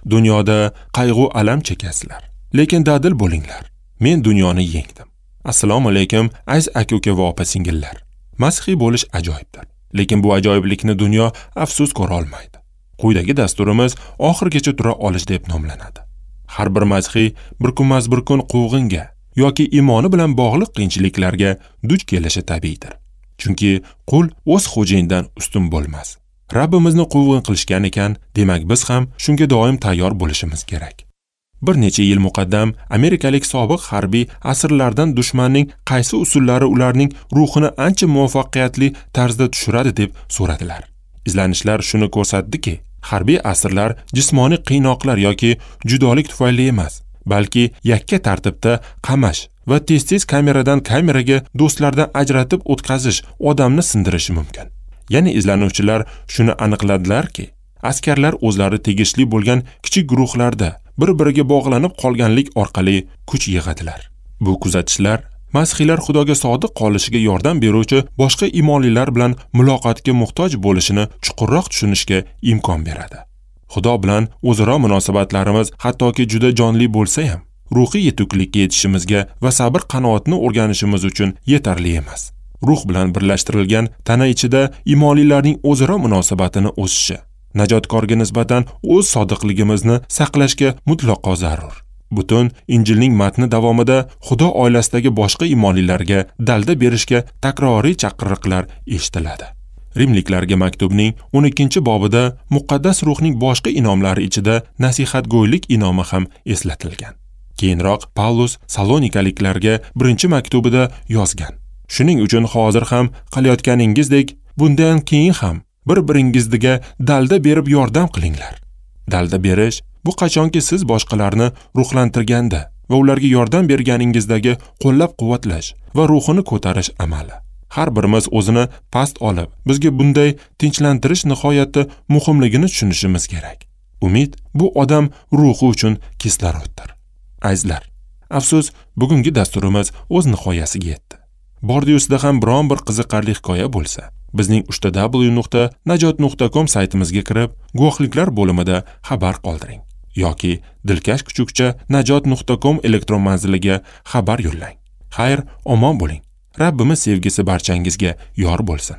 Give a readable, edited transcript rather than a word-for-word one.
Dunyoda qayg'u alam chekasizlar, lekin dadil bo'linglar. Men dunyoni yengdim. Assalomu alaykum, aziz aka-uka va opa-singillar. Masihiy bo'lish ajoyibdir, lekin bu ajoyiblikni dunyo afsus ko'ra olmaydi. Quyidagi dasturimiz oxirigacha tura olish deb nomlanadi. Har bir masihiy bir kunmas bir kun quvg'inga yoki iymoni bilan bog'liq qiyinchiliklarga duch kelishi tabiiydir. Chunki qul o'z xo'jayinidan ustun bo'lmas. Rabbimizni quvg'in qilishgan ekan, demak biz ham shunga doim tayyor bo'lishimiz kerak. Bir necha yil muqaddam amerikalik sobiq harbiy asirlardan dushmanning qaysi usullari ularning ruhini ancha muvaffaqiyatli tarzda tushiradi deb so'radilar. Izlanishlar shuni ko'rsatdiki, harbiy asirlar jismoniy qiynoqlar yoki judolik tufayli emas, balki yakka tartibda qamash va tez-tez kameradan kameraga do'stlardan ajratib o'tkazish odamni sindirishi mumkin. Ya'ni izlanuvchilar shuni aniqladilarki, askarlar o'zlari tegishli bo'lgan kichik guruhlarda bir-biriga bog'lanib qolganlik orqali kuch yig'adilar. Bu kuzatishlar masihiylar Xudoga sodiq qolishiga yordam beruvchi boshqa iymonlilar bilan muloqotga muhtoj bo'lishini chuqurroq tushunishga imkon beradi. Xudo bilan o'zaro munosabatlarimiz hattoki juda jonli bo'lsa ham, ruhiy yetuklikka yetishimizga va sabr qanoatni o'rganishimiz uchun yetarli emas. Ruh bilan birlashtirilgan tana ichida iymonlilarning o'zaro munosabatini o'sishi, najotkorga nisbatan o'z sodiqligimizni saqlashga mutlaqo zarur. Butun Injilning matni davomida Xudo oilasidagi boshqa iymonlilarga dalda berishga takroriy chaqiriqlar eshitiladi. Rimliklarga maktubning 12-bobida muqaddas ruhning boshqa inomlari ichida nasihatgo'ylik inomi ham eslatilgan. Keyinroq Pavlus Salonikaliklarga 1-maktubida yozgan: Shuning uchun hozir ham qilayotganingizdek, bundan keyin ham bir-biringizga dalda berib yordam qilinglar. Dalda berish bu qachonki siz boshqalarni ruhlantirganda va ularga yordam berganingizdagi qo'llab-quvvatlash va ruhini ko'tarish amali. Har birimiz o'zini past olib, bizga bunday tinchlantirish nihoyatda muhimligini tushunishimiz kerak. Umid bu odam ruhi uchun kisloroddir. Azizlar, afsus, bugungi dasturimiz o'z nihoyasiga yetdi. Bordi-yusida ham biron bir qiziqarli hikoya bo'lsa, bizning www.najot.com saytimizga kirib, guvohliklar bo'limida xabar qoldiring yoki dilkash@najot.com elektron manziliga xabar yo'llang. Xayr, omon bo'ling. Rabbimiz sevgisi barchangizga yor bo'lsin.